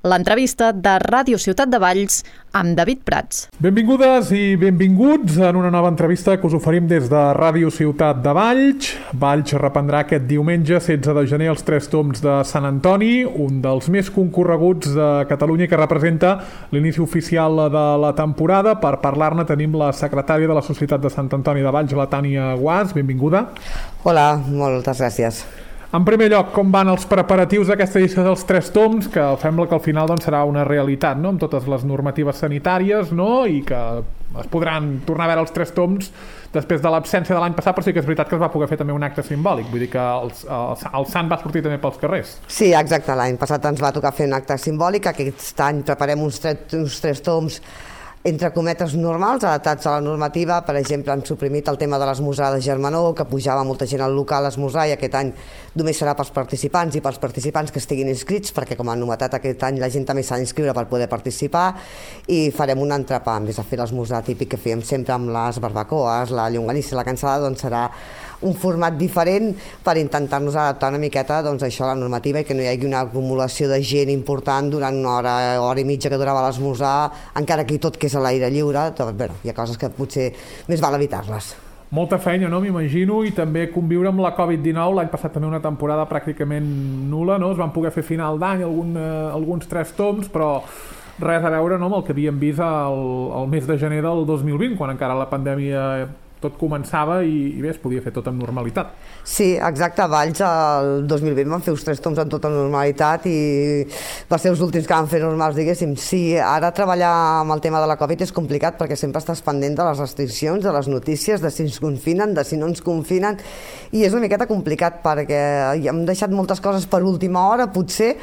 L'entrevista de Ràdio Ciutat de Valls amb David Prats. Benvingudes i benvinguts en una nova entrevista que us oferim des de Ràdio Ciutat de Valls. Valls reprendrà aquest diumenge 16 de gener els Tres Tombs de Sant Antoni, un dels més concorreguts de Catalunya que representa l'inici oficial de la temporada. Per parlar-ne tenim la secretària de la Societat de Sant Antoni de Valls, la Tània Guàs. Benvinguda. Hola, moltes gràcies. En primer lloc, com van els preparatius d'aquesta edició dels Tres Tombs, que sembla que al final serà una realitat, no?, amb totes les normatives sanitàries, no?, i que es podran tornar a veure els Tres Tombs després de l'absència de l'any passat, però sí que és veritat que es va poder fer també un acte simbòlic, vull dir que el sant va sortir també pels carrers. Sí, exacte, l'any passat ens va tocar fer un acte simbòlic, aquest any preparem uns Tres Tombs entre cometes normals, adaptats a la normativa. Per exemple, han suprimit el tema de l'esmorzar de germanor, que pujava molta gent al local a esmorzar, i aquest any només serà pels participants i pels participants que estiguin inscrits, perquè com a novetat aquest any la gent també s'ha d'inscriure per poder participar, i farem un entrepà, en vez de fer l'esmorzar típic que fèiem sempre amb les barbacoes, la llonganissa i la cansada, doncs serà un format diferent per intentar-nos adaptar una miqueta a això, a la normativa, i que no hi hagi una acumulació de gent important durant una hora i mitja que durava l'esmorzar, encara que tot que és a l'aire lliure. Bé, hi ha coses que potser més val evitar-les. Molta feina, no?, m'imagino, i també conviure amb la Covid-19. L'any passat també una temporada pràcticament nul·la, no? Es van poder fer final d'any alguns Tres Tombs, però res a veure, no?, amb el que havíem vist el mes de gener del 2020, quan encara la pandèmia tot començava i bé, es podia fer tot amb normalitat. Sí, exacte, a Valls el 2020 van fer uns Tres Tombs amb tota normalitat i va ser els últims que van fer normals, diguéssim. Sí, ara treballar amb el tema de la Covid és complicat perquè sempre estàs pendent de les restriccions, de les notícies, de si ens confinen, de si no ens confinen, i és una miqueta complicat perquè hem deixat moltes coses per última hora, potser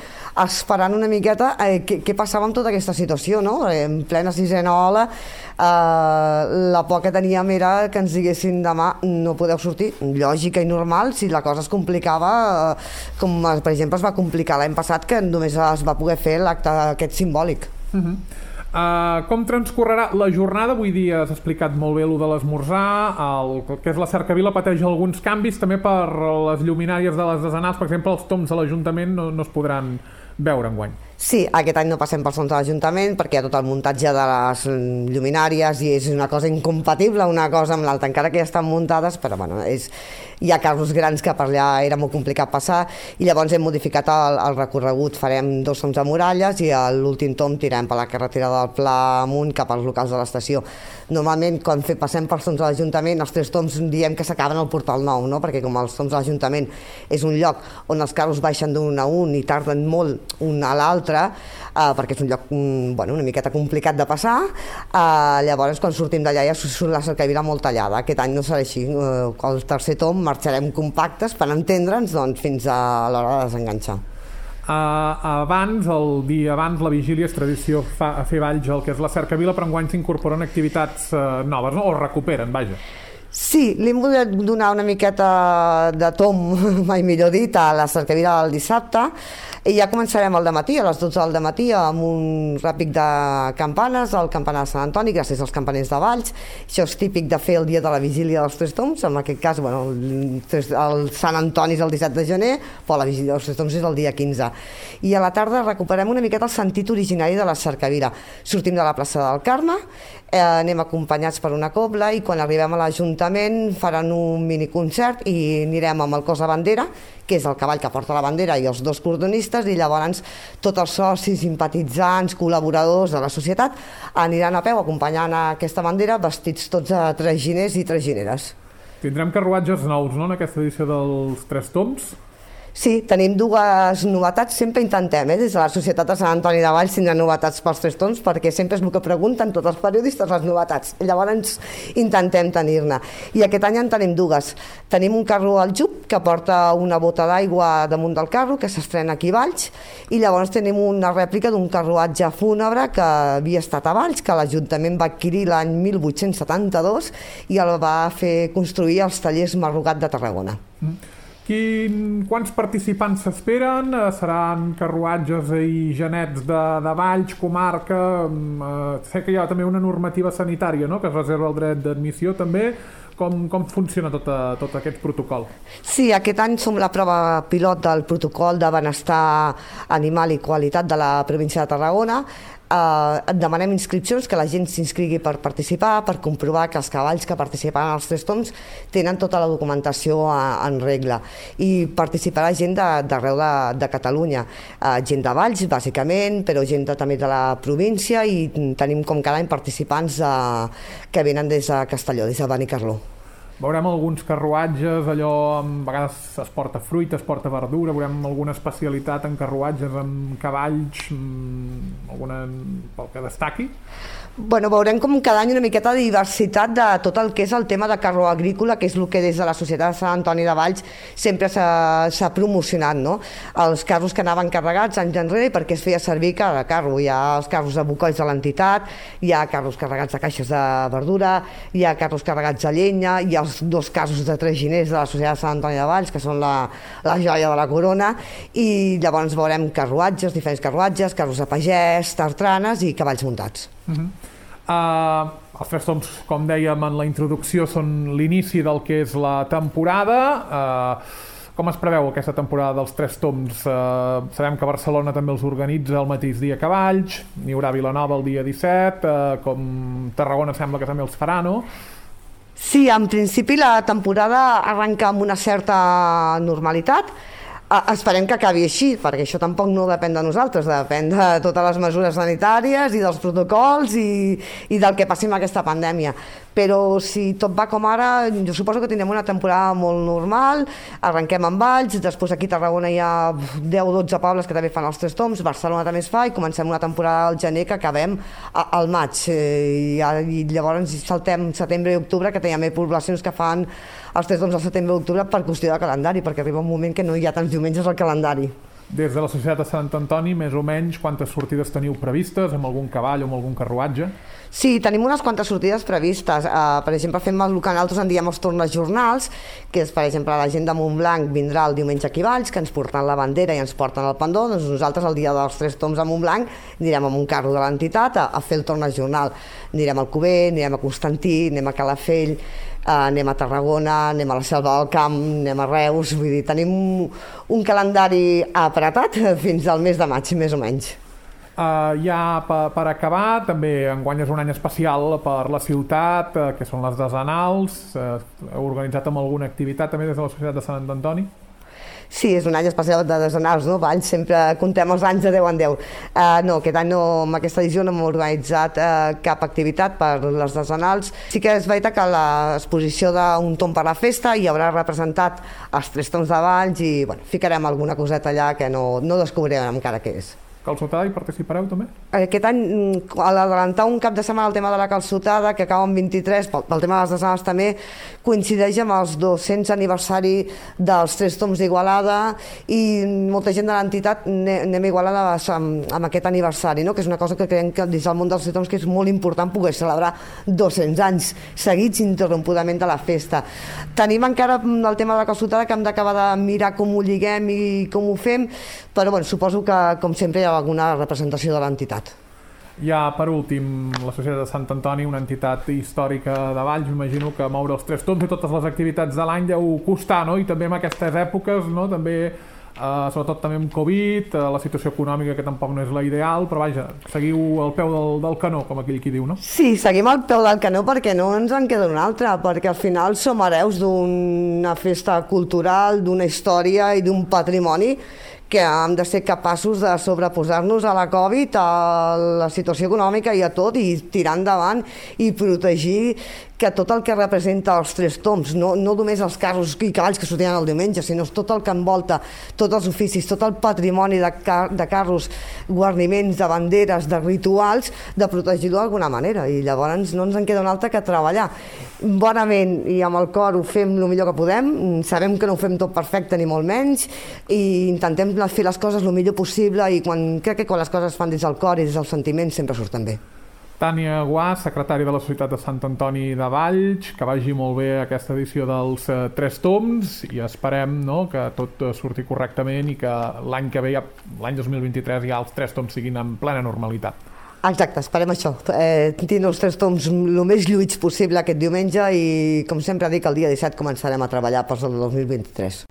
esperant una miqueta què passava amb tota aquesta situació, no? En plena sisena ola, la por que teníem era que ens diguessin demà no podeu sortir. Lògica i normal si la cosa es complicava, com per exemple es va complicar l'any passat, que només es va poder fer l'acte aquest simbòlic. Com transcorrerà la jornada? Avui dia has explicat molt bé el de l'esmorzar, el que és la cercavila pateix alguns canvis també per les lluminàries de les desenals. Per exemple, els tombs de l'Ajuntament no es podran veure enguany. Sí, aquest any no passem pels tombs de l'Ajuntament perquè hi ha tot el muntatge de les lluminàries i és una cosa incompatible una cosa amb l'altra, encara que ja estan muntades, però bueno, hi ha carros grans que per allà era molt complicat passar, i llavors hem modificat el recorregut. Farem 2 tombs de muralles i l'últim tomb tirem per la carretera del Pla amunt cap als locals de l'estació. Normalment quan passem pels tombs de l'Ajuntament els 3 tombs diem que s'acaben al Portal Nou, no? Perquè com els tombs de l'Ajuntament és un lloc on els carros baixen d'un a un i tarden molt un a l'altre, perquè és un lloc una miqueta complicat de passar, llavors quan sortim d'allà ja surt la cercavila molt tallada. Aquest any no serà així. El tercer tomb marxarem compactes per entendre'ns fins a l'hora de desenganxar. El dia abans, la vigília, és tradició fer Valls el que és la cercavila, però enguany s'incorporen activitats noves, no? O recuperen, vaja. Sí, li hem volgut donar una miqueta de tomb, mai millor dit, a la cercavila del dissabte, i ja començarem al dematí, a les 12 del dematí, amb un ràpic de campanes, al campanar de Sant Antoni, gràcies als campaners de Valls. Això és típic de fer el dia de la vigília dels Tres Tombs, en aquest cas, el Sant Antoni és el 17 de gener, però la vigília dels Tres Tombs és el dia 15. I a la tarda recuperem una miqueta el sentit originari de la cercavila. Sortim de la plaça del Carme, anem acompanyats per una cobla, i quan arribem a l'Ajuntament faran un miniconcert i anirem amb el cos de bandera, que és el cavall que porta la bandera, i els 2 cordonistes, i llavors tots els socis, simpatitzants, col·laboradors de la societat aniran a peu acompanyant aquesta bandera vestits tots de traginers i tragineres. Tindrem carruatges nous, no?, en aquesta edició dels Tres Tombs? Sí, tenim 2 novetats, sempre intentem, des de la Societat de Sant Antoni de Valls tindrà novetats pels Tres Tombs, perquè sempre és el que pregunten tots els periodistes, les novetats. Llavors intentem tenir-ne. I aquest any en tenim 2. Tenim un carro al Jup que porta una bota d'aigua damunt del carro, que s'estrena aquí a Valls, i llavors tenim una rèplica d'un carruatge fúnebre que havia estat a Valls, que l'Ajuntament va adquirir l'any 1872 i el va fer construir als tallers Marrugat de Tarragona. Quants participants s'esperen? Seran carruatges i genets de Valls, comarca? Sé que hi ha també una normativa sanitària, no?, que es reserva el dret d'admissió també. Com funciona tot aquest protocol? Sí, aquest any som la prova pilot del protocol de benestar animal i qualitat de la província de Tarragona. Demanem inscripcions, que la gent s'inscrigui per participar, per comprovar que els cavalls que participaran als 3 toms tenen tota la documentació en regla, i participarà gent d'arreu de Catalunya, gent de Valls bàsicament, però gent també de la província, i tenim com cada any participants que venen des de Castelló, des de Benicarló. Veurem alguns carruatges, allò, a vegades es porta fruita, es porta verdura, veurem alguna especialitat en carruatges, amb cavalls, alguna pel que destaqui? Bueno, veurem com cada any una miqueta de diversitat de tot el que és el tema de carro agrícola, que és el que des de la Societat de Sant Antoni de Valls sempre s'ha promocionat, no? Els carros que anaven carregats anys enrere, perquè es feia servir cada carro. Hi ha els carros de bocolls de l'entitat, hi ha carros carregats de caixes de verdura, hi ha carros carregats de llenya, hi ha els 2 carros de traginers de la Societat de Sant Antoni de Valls, que són la joia de la corona, i llavors veurem carruatges, diferents carruatges, carros de pagès, tartranes i cavalls muntats. Els 3 toms, com dèiem en la introducció, són l'inici del que és la temporada. Com es preveu aquesta temporada dels 3 toms? Sabem que Barcelona també els organitza el mateix dia que Valls, n'hi haurà a Vilanova el dia 17, com Tarragona sembla que també els farà, no? Sí, en principi la temporada arrenca amb una certa normalitat. Esperem que acabi així, perquè això tampoc no depèn de nosaltres, depèn de totes les mesures sanitàries i dels protocols i del que passi amb aquesta pandèmia. Però si tot va com ara, jo suposo que tindrem una temporada molt normal. Arrenquem amb Valls, després aquí a Tarragona hi ha 10 o 12 pobles que també fan els 3 toms, Barcelona també es fa, i comencem una temporada al gener que acabem al maig, i llavors saltem setembre i octubre, que hi ha més poblacions que fan els 3 toms al setembre i octubre per qüestió de calendari, perquè arriba un moment que no hi ha tants diumenges al calendari. Des de la Societat de Sant Antoni, més o menys, quantes sortides teniu previstes, amb algun cavall o amb algun carruatge? Sí, tenim unes quantes sortides previstes. Per exemple, fem el que nosaltres en diem els tornes jornals, que és, per exemple, la gent de Montblanc vindrà el diumenge aquí a Valls, que ens porten la bandera i ens porten el pendó. Doncs nosaltres, el dia dels 3 toms a Montblanc, anirem amb un carro de l'entitat a fer el tornes jornal. Anirem al Cuber, anirem a Constantí, anem a Calafell, anem a Tarragona, anem a la Selva del Camp, anem a Reus. Vull dir, tenim un calendari apretat fins al mes de maig, més o menys. Ja per acabar, també enguany és un any especial per la ciutat, que són les desenals. Heu organitzat amb alguna activitat també des de la Societat de Sant Antoni? Sí, és un any especial de desenals, no? Valls, sempre contem els anys de 10 en 10. No, aquest any no, amb aquesta edició no hem organitzat cap activitat per les desenals. Sí que és veritat que a l'exposició d'un tom per la festa hi haurà representat els 3 toms de Valls, i bueno, ficarem alguna coseta allà que no descobrirem encara què és. Calçotada, hi participareu també? Aquest any, a l'adelantar un cap de setmana el tema de la calçotada, que acaba en 23, pel tema de les desenals també, coincideix amb els 200 aniversari dels 3 toms d'Igualada, i molta gent de l'entitat anem a Igualada amb aquest aniversari, no? Que és una cosa que creiem que des del món dels 3 toms que és molt important poder celebrar 200 anys seguits ininterrompudament de la festa. Tenim encara el tema de la calçotada, que hem d'acabar de mirar com ho lliguem i com ho fem, però bueno, suposo que, com sempre, hi ha alguna representació de l'entitat. Ja, per últim, la Societat de Sant Antoni, una entitat històrica de Valls, m'imagino que moure els 3 toms i totes les activitats de l'any deu costar, no? I també en aquestes èpoques, no? També, sobretot també amb Covid, la situació econòmica que tampoc no és la ideal, però vaja, seguiu al peu del canó, com aquell qui diu, no? Sí, seguim al peu del canó perquè no ens en queda una altra, perquè al final som hereus d'una festa cultural, d'una història i d'un patrimoni que hem de ser capaços de sobreposar-nos a la Covid, a la situació econòmica i a tot, i tirar endavant i protegir que tot el que representa els 3 toms, no només els carros i cavalls que sortiran el diumenge, sinó tot el que envolta, tots els oficis, tot el patrimoni de carros, guarniments, de banderes, de rituals, de protegir-ho d'alguna manera. I llavors no ens en queda una altra que treballar bonament i amb el cor. Ho fem el millor que podem, sabem que no ho fem tot perfecte ni molt menys, i intentem fer les coses el millor possible, i crec que quan les coses es fan des del cor i des del sentiment sempre surten bé. Tània Guà, secretària de la Societat de Sant Antoni de Valls, que vagi molt bé aquesta edició dels 3 toms, i esperem, no, que tot surti correctament i que l'any que ve, l'any 2023, ja els 3 toms siguin en plena normalitat. Exacte, esperem això. Tindre els 3 toms el més lluïts possible aquest diumenge i, com sempre dic, el dia 17 començarem a treballar per al 2023.